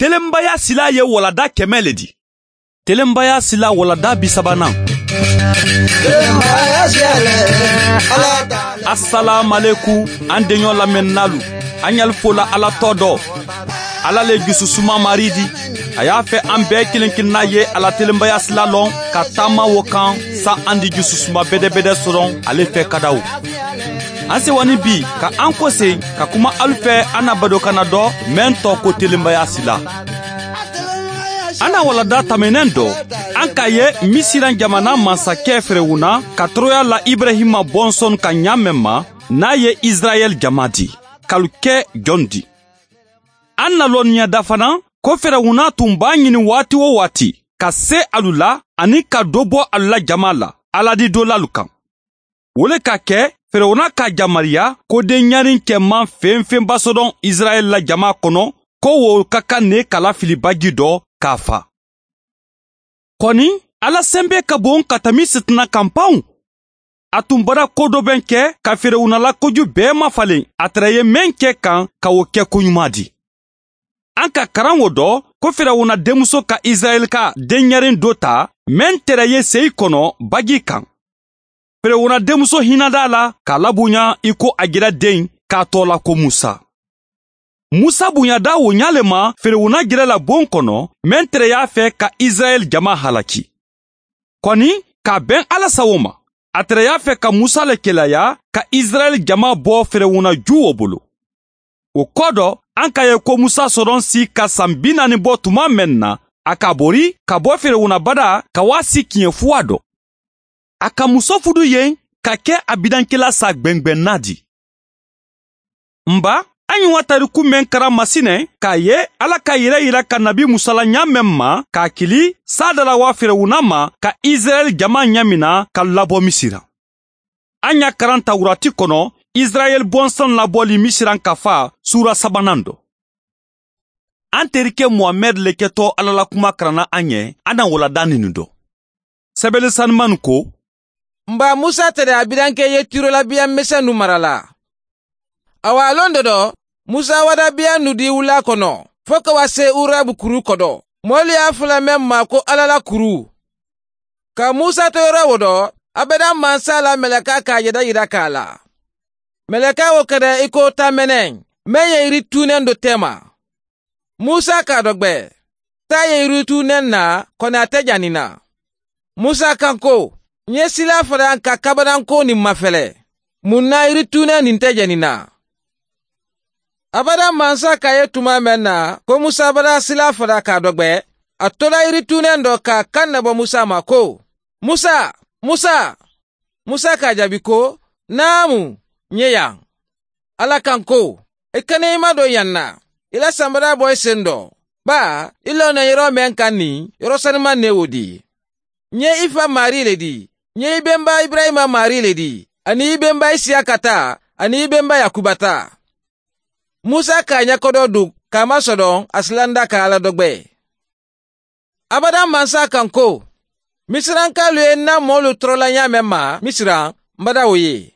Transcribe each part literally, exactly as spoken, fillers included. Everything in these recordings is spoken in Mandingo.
Telenbaya silaa ye walanda kɛmɛ le di. Telenbaya silaa walanda bisabanan. Asalaamaleku, an deɲɔ lamɛnninaalu. An ɲali fola ala tɔ dɔ. Ala le jususuma maari di. A y'a fɛ an bɛɛ kelen kelenna ye a la telenbaya sila lɔn ka taama wo kan. Sa an di jususuma bɛdɛbɛdɛ sɔrɔ ale fɛ kadaw. An sewanin bi ka an kose ka kuma alu fɛ an na badokanna dɔ mɛn tɔ ko telenbaya sila. An na walanda tamɛnɛn dɔ, an k'a ye misiran jamana mansakɛ ferewuna ka tɔɔrɔya la ibrahima bɔnsɔn ka ɲa mɛn ma, n'a ye israɛl jama di, k'alu kɛ jɔn di? An na lɔnniya da fana ko ferewuna tun b'a ɲini waati wo waati ka se alu la ani ka do bɔ alu la jama la aladi dolalu kan. Wo le ka kɛ, ferewuna k'a yamaruya ko den ɲarin cɛman fɛn fɛn basɔdɔn israɛl la jama kɔnɔ, ko wo ka kan ne ka lafili baji dɔ k'a fa. Kɔni, ala senbe ka bon ka tami sitana kan panw. A tun bara ko dɔ bɛ kɛ ka ferewuna la koju bɛɛ mafalen a tɛrɛ ye mɛn kɛ kan ka wo kɛ koɲuman di. An ka karan wo dɔ ko ferewuna denmuso ka israɛl ka den ɲarin do ta, mɛn tɛrɛ ye seyi kɔnɔ baji kan. Ferewuna denmuso hinada la k'a laboɲa i ko a jira den k'a tɔ la ko musa. Musa boɲada wo ɲa le ma ferewuna jira la bon kɔnɔ, mɛn tɛrɛ y'a fɛ ka israɛl jama halaki. Kɔni, k'a bɛn ala sawo ma, a tɛrɛ y'a fɛ ka musa le kelaya ka israɛl jama bɔ ferewuna ju wo bolo. O kɔ dɔ, an ka ye ko musa sɔrɔn si ka san bi naani bɔ tuma mɛn na, a ka bori ka bɔ ferewuna bada ka waa si kiɲɛ fuwa dɔ. A ka muso fudu yen ka kɛ a bidankela sa gbɛngbɛnna di. Nba, an ɲɔgɔn tariku mɛn kara masinɛ k'a ye ala ka yɛrɛ yira ka nabi musala ɲa mɛn ma k'a kili saadala waa ferewuna ma ka israɛl jama ɲamina ka labɔ misira. An y'a karan tawurati kɔnɔ, israɛl bɔnsɔn labɔli misiran ka fa suura sabanan dɔ. An terikɛ muhamɛd le kɛtɔ ala la kuma karanna an ye, an na walada ninu dɔ. Sɛbɛli sanimanu ko, nba musa tɛrɛ a bidankɛ ye tirola biya misɛnnu mara la. Awa a lon dɔ dɔ, musa wada biya nu di wula kɔnɔ fo ka wa se urabu kuru kɔ dɔ. Moolu ye a fula meŋ ma ko ala la kuru. Ka musa toyora wo dɔ, abada mansa la meleka ka a yeda yira ka a la. Meleka wo kede i ko tamɛnɛŋ meŋ ye yiri tuuneŋ do tema. Musa ka a dɔgbe, taa ye yiri tuuneŋ na, kɔni a te janina. Musa kan ko, ŋ ye silaa fadaŋ ka kabadanko nin mafele. Mun na yiri tuuneŋ nin te janina? Abada mansa ka ye tuma meŋ na ko musa bada silaa fada ka a dɔgbe, a tola yiri tuuneŋ do ka a kaŋ ne bo musa ma ko, musa, musa. Musa ka a jaabi ko, naamu, ŋ ye yaŋ. Alla kaŋ ko, i kana i ma do yaŋ na, i la sambada boyi sendoo, baa i loŋ na yeroo meŋ kaŋ niŋ yeroo sanimaŋ ne wo dii. Ǹ ye i fa maarii le dii, ǹ ye i bemba iburayima maarii le dii, aniŋ i bemba isiyaka taa, aniŋ i bemba yakuba taa. Musa ka a ñakodoo duŋ ka a masodoŋ a si landa ka alla dogbe. Abada mansa kaŋ ko, misirankaalu ye ǹ na moolu torola ñaameŋ ma misira, m bada wo ye.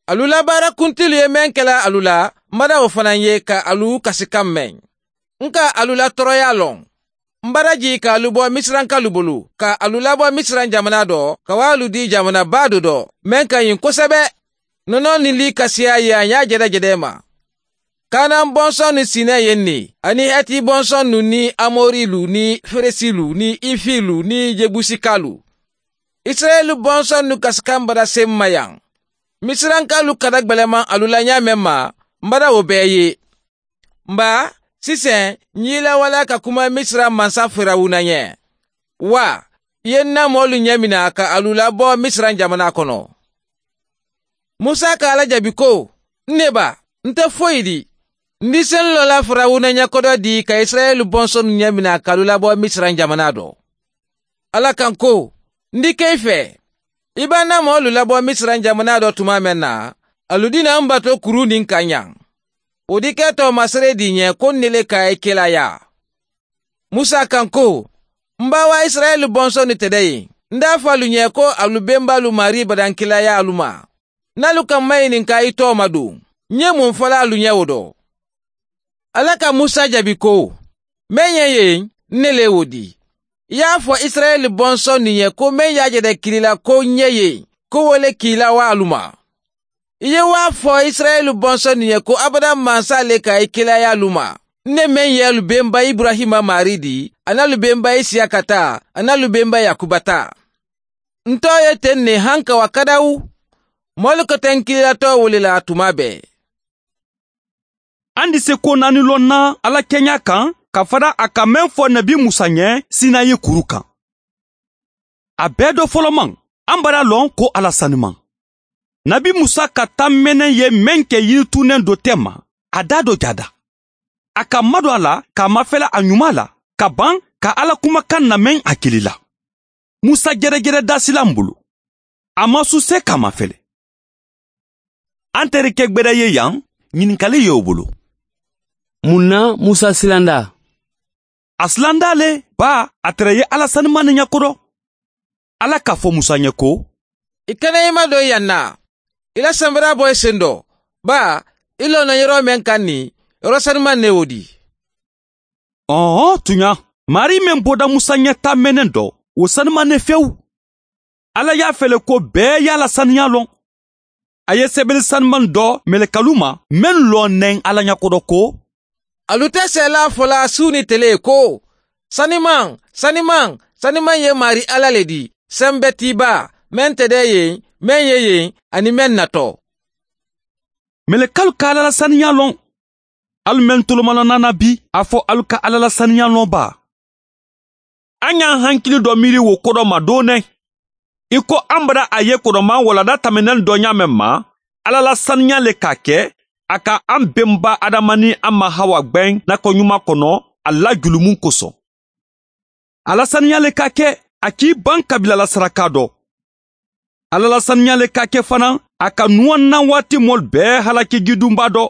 Alu la baara kuntilu ye meŋ ke la alu la, m bada wo fanaa ye ka alu kasi kaŋ meŋ. Ǹ ka alu la toroyaa loŋ. M bada jii ka alu bo misirankaalu bulu ka alu labo misira jamanaa do ka waalu dii jamanaa baa do do meŋ ka ñiŋ kosebe. Nonoo niŋ liikasiyaa ye a ñaa jede jede ma. Kaanaŋ bonsonnu siinee ye ǹ ne, aniŋ heti bonsonnu niŋ amoriilu niŋ feresiilu niŋ ifiilu niŋ jebusikaalu. Isirayila bonsonnu kasikaŋ bada se m ma yaŋ. Misirankaalu ka da gbelemaŋ alu la ñaameŋ ma, m bada wo bee ye. M baa, siseŋ ǹ ye i lawalaa ka kuma misira mansa firawuna ñe. Wa, i ye ǹ na moolu ñemina ka alu labo misira jamanaa kono. Musa ka alla jabi ko, ǹ ne ba, nte foyi di. Ǹ di senloo la firawuna ñakodoo dii ka isirayila bonsonnu ñemina ka alu labo misira jamanaa do. Alla kaŋ ko, ǹ di ke i fee. I be ǹ na moolu labo misira jamanaa do tumaa meŋ na, alu dina m batoo kuruu niŋ kaŋ ñaŋ. Wo di ke toomasere dii ñe ko ǹ ne le ka a ye kelaayaa. Musa kaŋ ko, m baawa isirayila bonsonnu te de ye. Ǹ daa fo alu ñe ko alu bembaalu maarii badankelaayaalu ma. Ǹ na alu kaŋ mayininkaa i tooma duŋ, ǹ ye muŋ fo la alu ñe wo do? Alla ka musa jabi ko, Meŋ ye yen n ne le wo di. I ye a fo isirayeli bonsondiŋ ye ko meŋ ye a je de kili la ko n ye yen ko wo le kii la wo alu ma. I ye wo a fo isirayeli bonsondiŋ ye ko abadaŋ mansa le ka i kila ye alu ma, n ne meŋ ye alu bemba iburahima maari di, aniŋ alu bemba isiyaka taa, aniŋ alu bemba yakuba taa. N too ye teŋ ne hankawa kadawu. Moolu ka teŋ kililatoo wo le la tuma bee. Andi se ko naani loŋ na ala keɲaa kaŋ ka fada a ka meŋ fo nabi musa ɲe sinayi kuru kaŋ. A bee do folomaŋ, an bara loŋ ko ala sanimaŋ. Nabi musa ka tammeneŋ ye meŋ ke yirituuneŋ do temma, a daa do jaada. A ka madu a la ka mafele a ɲumaa la ka baŋ ka ala kumakaŋ nameŋ a kili la. Musa jerejere daasilaŋ bulu, a maŋ suse ka mafele. An tere ke gbeda ye yaŋ, ɲininkali ye wo bulu. Muŋ na musa silanda? A silanda le, baa a tere ye ala sanimaŋ ne ɲakodo. Ala ka fo musa ɲe ko, i kana i ma do yaŋ na. I la sambara boyi sendo, baa i loŋ na yoro meŋ kaŋ ni yoro sanimaŋ ne wo di. Ɔɔ tuɲa, maari meŋ boda musa ɲe tammeneŋ do, wo sanimaŋ ne fewu. Ala ye a fele ko bee ye a la saniyaa loŋ. A ye sebeli sanimaŋ do melekalu ma, meŋ loŋ neŋ ala ɲakodo ko, alu te seelaa fo la suu ni tele ko, sanimaŋ, sanimaŋ, sanimaŋ ye maari ala le di, sembetiibaa, meŋ te de yeŋ, meŋ ye yeŋ, aniŋ meŋ na to. Melekalu ka ala la saniyaa loŋ. Alu meŋ tolomaloŋ na na bi, a fo alu ka ala la saniyaa loŋ baa? A ɲa hankili do miiri wo kodo ma dooneŋ. I ko an bara a ye kodomaŋ walada tameneŋ do ɲaameŋ ma, ala la saniyaa le ka a ke a ka an benba adama niŋ a ma hawa gbeŋ nakoɲumaa kono a la julumu koso. Ala saniyaa le ka a ke a kii baŋ kabiila la sarakaa do. Ala la saniyaa le ka a ke fanaa a ka nuwaŋ na waati moolu bee halaki jidunbaa do.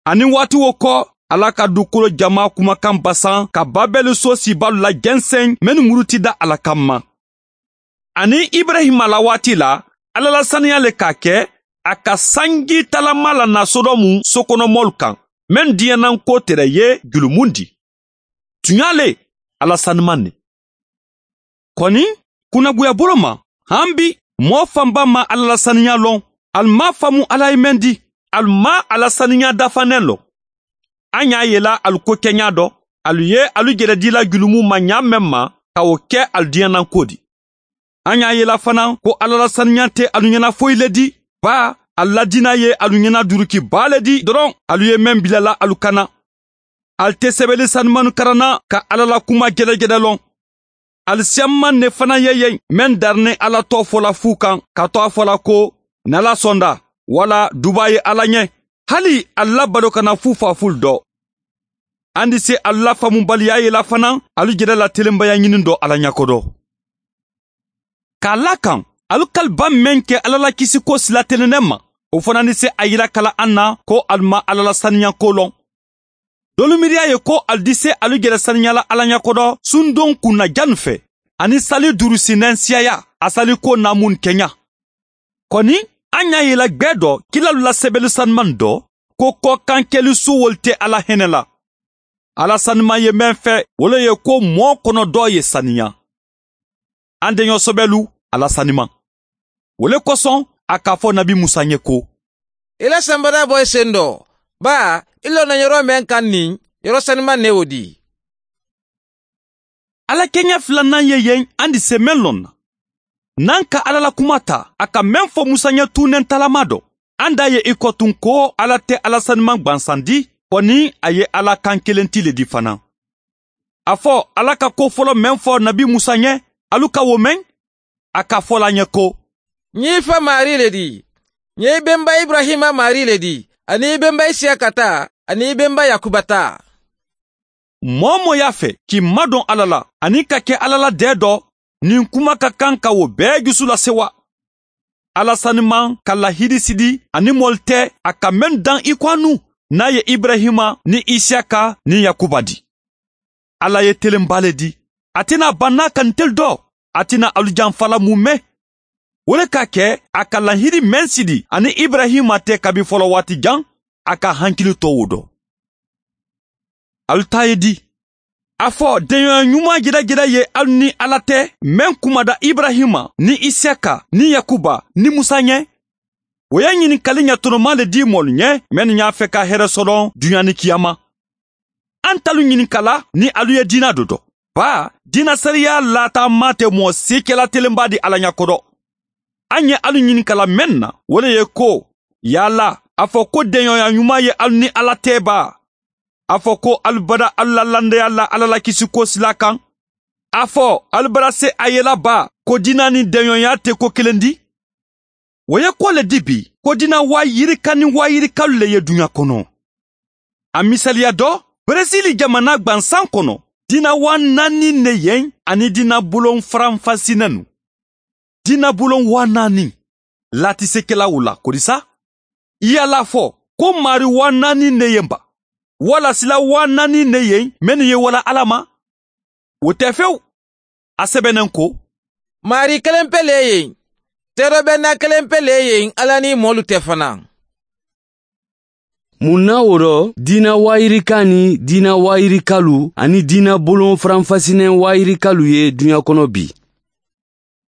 Aniŋ waati wo ko, ala ka dukolo jamaa kumakaŋ basaŋ ka babeli soosibaalu la jenseŋ mennu murutida a la kamma. Aniŋ iburahima la waati la, ala la saniyaa le ka a ke a ka sanji talama la na sodomu sokonomoolu kaŋ, meŋ diyaŋ na n ko tere ye julumu di. Tuɲaa le, ala sanimaŋ ne. Koni, kunnaguya bolo ma, han bi, moo fanba maŋ ala la saniyaa loŋ. Ali maŋ a faamu ala ye meŋ di, ali maŋ a la saniyaa dafaneŋ loŋ. A ɲaa yela ali ko keɲaa do, ali ye ali jelediila julumu ma ɲaa meŋ ma, ka wo ke ali diyaŋ na n ko di. A ɲaa yela fanaa ko ala la saniyaa te ali ɲana foyi le di, baa ali la diina ye ali ɲana duruki baa le di doroŋ ali ye meŋ bila la ali kana. Ali te sebeli sanimannu karanna ka ala la kuma jelejele loŋ. Ali siyammaŋ ne fanaa ye yeŋ meŋ dari niŋ ala too fo la fuu kaŋ ka to a fo la ko, nala sonda, walla dubaa ye ala ɲe. Hali ali la baloo kana fuu faafuulu do. Andi si ali la faamubaliyaa ye la fanaa ali jere la telembayaa ɲiniŋ do ala ɲakodo. Ka a laa kaŋ, ali kalibaŋ meŋ ke alla la kisikoo sila teleneŋ ma, wo fanaa ni si a yila kala aŋ na ko ali maŋ alla la saniyankoo loŋ. Doolu miiriyaa ye ko ali dise ali jele saniya la alla ɲakodo sundoŋ kunna jannu fee, aniŋ sali duuru sineŋ siyayaa a salikoo naamuŋ keɲa. Koni, aŋ ɲaa ye la gbee do kilaalu la sebelu sanimaŋ do, ko kookaŋ keli suwolu te alla hene la. Alla sanimaŋ ye meŋ fee wo le ye ko moo kono doo ye saniya. Aŋ deɲoo sobelu, alla sanimaŋ. Wo le kosoŋ a ka a fo nabi musa ye ko, i la sambara boyi sendoo, baa i loŋ na yoroo meŋ kaŋ niŋ yoroo sanimaŋ ne wo di. Alla keɲa filanaŋ ye yeŋ aŋ di semeŋ loŋ na. Naŋ ka alla la kumaa taa a ka meŋ fo musa ye tuuneŋ talaamaa do, aŋ daa ye i kotuŋ ko alla te alla sanimaŋ gbansandi, fo niŋ a ye alla kaŋ keleŋ ti le di fanaa. A fo alla ka koo foloo meŋ fo nabi musa ye, alu ka wo meŋ? A ka fo la a ye ko, ǹ ye i fa maarii le di. Ǹ ye i benba iburayima maarii le di, aniŋ i benba isiyaka taa, aniŋ i benba yakuba taa. Moo-wo-moo ye a fee ka i madoŋ alla la aniŋ ka ke alla la dee do, ñiŋ kuma ka kaŋ ka wo bee jusu lasewa. Alla sanimaŋ ka lahiidi sidi aniŋ moolu te a ka mennu daŋ i ko a nuŋ, niŋ a ye iburayima niŋ isiyaka niŋ yakuba dii. Alla ye teleŋ baa le dii. A ti naa bannaa ka ntelu doo. A ti naa alu janfa la muumee. Wo le ka a ke a ka lahiidi meŋ sidi aniŋ iburayima te kabi folowaati jaŋ, a ka a hankili too wo do. ali taa ye di? A fo deɲoya ɲuman jedajeda ye ali ni ala te, meŋ kumada iburahima ni isiyaka ni yakuba ni musa ɲe. Wo ye ɲininkali ɲatonomaa le di moolu ɲe mennu ye a fe ka here sodoŋ duɲa ni kiyama. An talu ɲininka la ni alu ye diina do do, baa diina sariya laata maa te moo sii kela telenbaa di ala ɲa kodo. An ye alu ɲininka la meŋ na wo le ye ko, yaala a fo ko deɲoya ɲuman ye alu ni ala te baa? A fo ko alu bada alu la landeya la ala la kisiko sila kaŋ? A fo alu bada se a ye la baa ko diina niŋ deɲoya te ko kelendi? Wo ye ko le di bi ko diina waayirika niŋ waayirikalu le ye duɲa kono. A misaliya do, beresili jamana gbansaŋ kono diina waa naani ne ye aniŋ diina buloŋ faranfasinenu. Diina buloŋ waa naani laati se ke la wo la kodisa? I ye a la fo ko maari waa naani ne ye n ba? Walla sila waa naani ne ye mennu ye wala ala ma? Wo te fewu. A sebenen ko, maari kelenpe le ye n. Teerobenna kelenpe le ye n ala ni moolu te fanaa. Mun na wo do diina waayirikaa ni diina waayirikalu aniŋ diina buloŋ faranfasinen waayirikalu ye duɲa kono bi?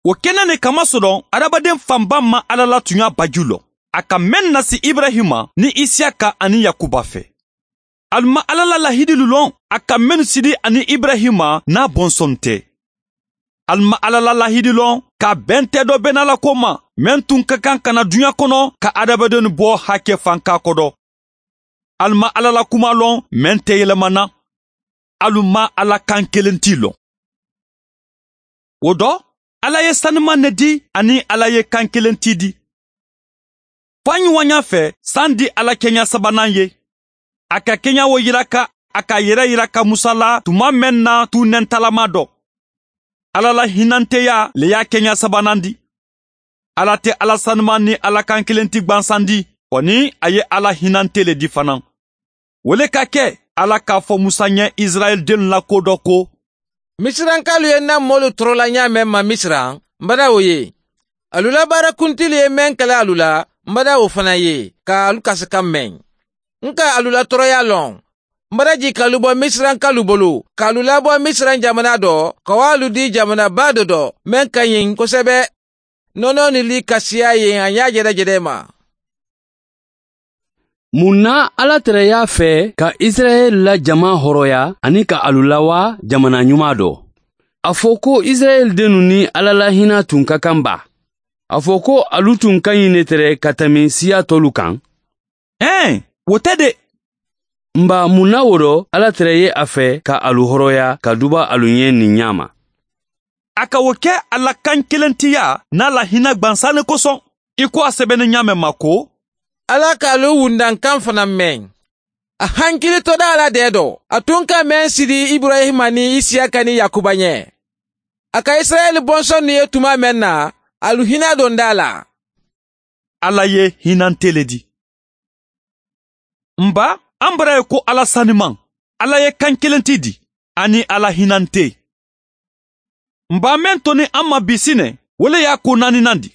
Wo kene ne kama sodoŋ adamaden fanba maŋ ala la tuɲa baju loŋ, a ka meŋ nasi iburahima niŋ isiyaka aniŋ yakuba fe. Ali maŋ ala la lahidilu loŋ a ka mennu sidi aniŋ iburahima niŋ a bonsonte. Ali maŋ ala la lahidilu loŋ ka bente do bena la ko ma meŋ tun ka kaŋ ka na duɲa kono ka adamadenu bo hake fankaa kodo. Ali maŋ ala la kumaa loŋ meŋ te yelemana. Ali maŋ ala kaŋ kelenti loŋ. Wo do, ala ye sanimaŋ ne di aniŋ ala ye kaŋ kelenti di. Faañiwañaa fee saŋ di ala keña sabanaŋ ye. A ka keña wo yiraka a ka a yere yiraka musa la tuma meŋ na tuu nentalamaa do. Ala la hinanteyaa le ye a keña sabanaŋ di. Ala te ala sanimaŋ niŋ ala kaŋ kilenti gbansandi, fo niŋ a ye ala hinante le di fanaa. Wo le ka ke ala k'a fo musa ñe isirayila dennu la ko do ko, misirankaalu ye n na moolu torola ñaameŋ ma misira, m bada wo ye. Alu la baara kuntilu ye meŋ kele alu la, m bada wo fanaa ye ka alu kasi kaŋ meŋ. N ka alu la toroyaa loŋ. M bada jii ka alu bo misirankaalu bulu ka alu labo misira jamanaa do ka wo alu dii jamanaa baa do do meŋ ka ñiŋ kosebe. Noonoo ni lii ka siyaa ye a ñaa jedajede ma. Mun na ala tereyaa fee ka isirayila la jamaa horoya aniŋ ka alu lawaa jamanaa ñumaa do? A fo ko isirayila dennu niŋ ala la hinaa tun ka kaŋ baa? A fo ko alu tun ka ñiŋ ne tere ka tanbi siyaa toolu kaŋ? Ee, wo te de. M baa, mun na wo do ala tere ye a fee ka alu horoya ka duba alu ñee niŋ ñaama? A ka wo ke a la kankilentiyaa niŋ a la hina gbansaane kosoŋ, i ko a sebene ñaameŋ ma ko, ala ka alu wundankaŋ fanaa meŋ. A hankili to daa la dee do a tun ka meŋ sidi iburayima niŋ isiyaka niŋ yakuba ñee. A ka isirayila bonsonnu ye tuma meŋ na, alu hina dondaa la. Alla ye hinante le di. M baa, a m bara ye ko alla sanimaŋ, alla ye kaŋ kelenti di, aniŋ alla hinante. M baa meŋ to niŋ a ma bisine, wo le ye a ko naaninandi.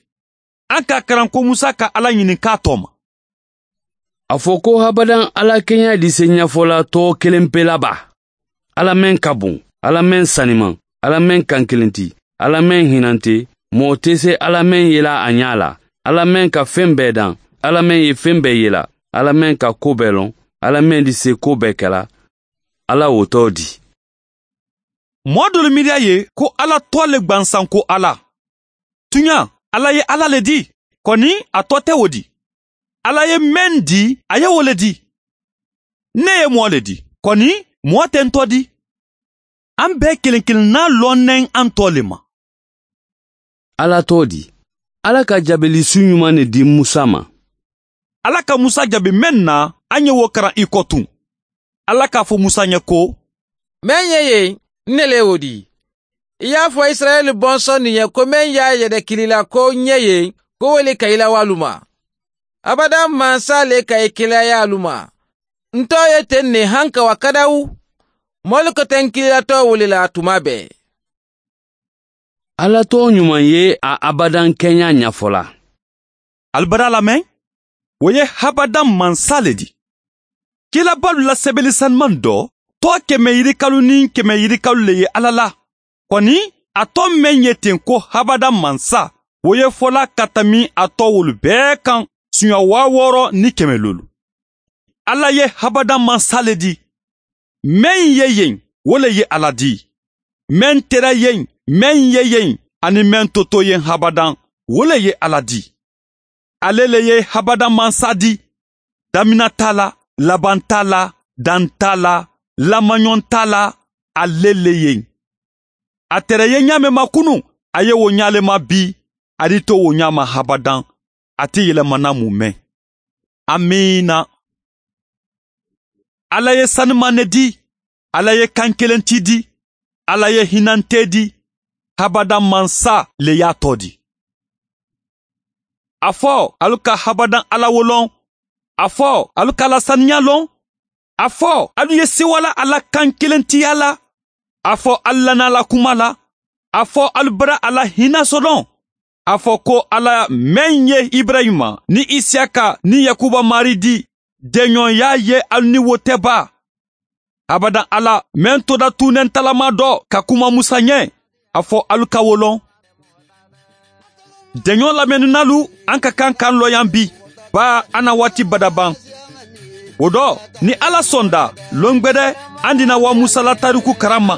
A ka a karaŋ ko musa ka alla ñininkaa tooma. A fo ko habadaŋ alla keña di se ñafola too kelempe la baa? Alla meŋ ka buŋ, alla meŋ sanimaŋ, alla meŋ kaŋ kelenti, alla meŋ hinante. Moo te se alla meŋ yela a ñaa la, alla meŋ ka feŋ bee daŋ, alla meŋ ye feŋ bee yela, alla meŋ ka koo bee loŋ, alla meŋ di se koo bee kela. Alla wo too di. Moo doolu miiriya ye ko alla too le gbansanko alla. Tuɲaa, alla ye alla le di, koni a too te wo di. Alla ye meŋ di, a ye wo le di. Ne ye moo le di, koni moo te n too di. Aŋ bee kiliŋ kiliŋ naa loŋ neŋ aŋ too le ma. Alla too di. Alla ka jaabili suɲumaŋ ne di musa ma. Alla ka musa jaabi meŋ na, aŋ ye wo karaŋ i ko tuŋ. Alla k'a fo musa ñe ko, meŋ ye ye n ne le wo di. I ye a fo isirayila bonsonnu ye ko meŋ ye a yede kili la ko n ye ye, ko wo le ka i la waalu ma. Abadaŋ mansa le ka i kilayaalu ma. N too ye teŋ ne haŋ ka wa kadawu. Moolu ka teŋ kililatoo wo le la tuma bee. Alla too ɲumaŋ ye a abadaŋ keɲaa ɲafo la. Ali bada lameŋ, wo ye habadaŋ mansa le di. Kiilabaalu la sebeli sanimaŋ do tɔɔ kɛmɛ yirikalu niŋ kɛmɛ yirikalu le ye alla la. Kɔni, a tɔɔ meŋ ye teŋ ko habadan mansa, wo ye fola ka tanbi a tɔɔ wolu bee kaŋ suɲa waa wooro niŋ kɛmɛ loolu. Alla ye habadan mansa le di. Meŋ ye yeŋ, wo le ye a la di. Meŋ tera yeŋ, meŋ ye yeŋ, aniŋ meŋ toto yeŋ habadan, wo le ye a la di. Ale le ye habadan mansa di. Damina taa la, laban taa la, daŋ taa la, lamaɲɔŋ taa la. Ale le ye. A tera ye ɲaa meŋ ma kunuŋ, a ye wo ɲaa le ma bii. A di to wo ɲaa ma habadan. A te yelemana mu meŋ. Amiina. Alla ye sanimaŋ ne di. Alla ye kaŋ keleŋ ti di. Alla ye hinante di. Habadan mansa le ye a tɔɔ di. A fo alu ka habadan alla wo loŋ. A fo alu ka a la saniyaa loŋ. A fo alu ye sewala a la kaŋ kelentiya la. A fo alu lana a la kuma la. A fo alu bara a la hina sodoŋ. A fo ko alla meŋ ye iburayima niŋ isiyaka niŋ yakuba maari di. Deɲoŋ ye a ye alu niŋ wo te baa. Abadan alla meŋ toda tuunentalamaa do ka kuma musa ɲee. A fo alu ka wo loŋ. Deɲoo lameninaalu, aŋ ka kaŋ ka aŋ looyaŋ bii, baa aŋ na waati bada baŋ. Wo do, niŋ alla sonda, loŋ gbede aŋ dina wa musa la taariku karamma.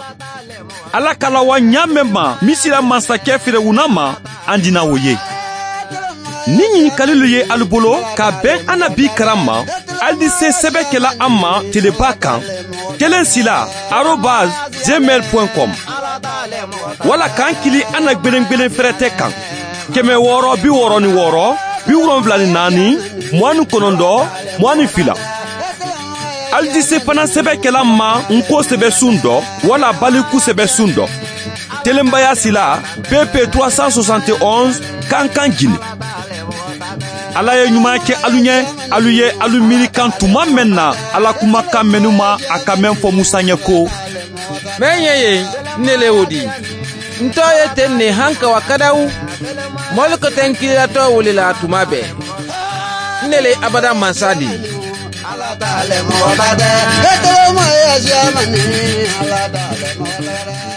Alla ka la wa ɲaa meŋ ma misira mansakee firawuna ma, aŋ dina wo ye. Niŋ ɲinikalilu ye alu bolo ka a beŋ aŋ na bii karamma, alu di see sebe kela aŋ ma telebaa kaŋ, keleŋ sila arobas gmail point com. Walla ka aŋ kili aŋ na gbelengbelen ferete kaŋ, keme wooro bi wooro ni wooro, bi wolonwula ni naani, muwaani konondoo, muwaani fila. Alu di see fanaŋ sebe kela aŋ ma ŋ ko sebe suŋ do, walla baliku sebe suŋ do. Telembayaa sila, pp trois cent soixante et onze, kankan gine. Alla ye ɲumaa ke alu ɲee. Alu ye alu miiri kaŋ tuma meŋ na, alla kumakaa mennu ma a ka meŋ fo musa ɲee ko, meŋ ye yen, n ne le wo di. N too ye teŋ ne haŋ ka wa kadawu. Moolu ka teŋ kiilatoo wuli la tuma bee. N ne le abada mansa di. Alla taale moo bade, etele moo ye siyamani. Alla taale moo bade.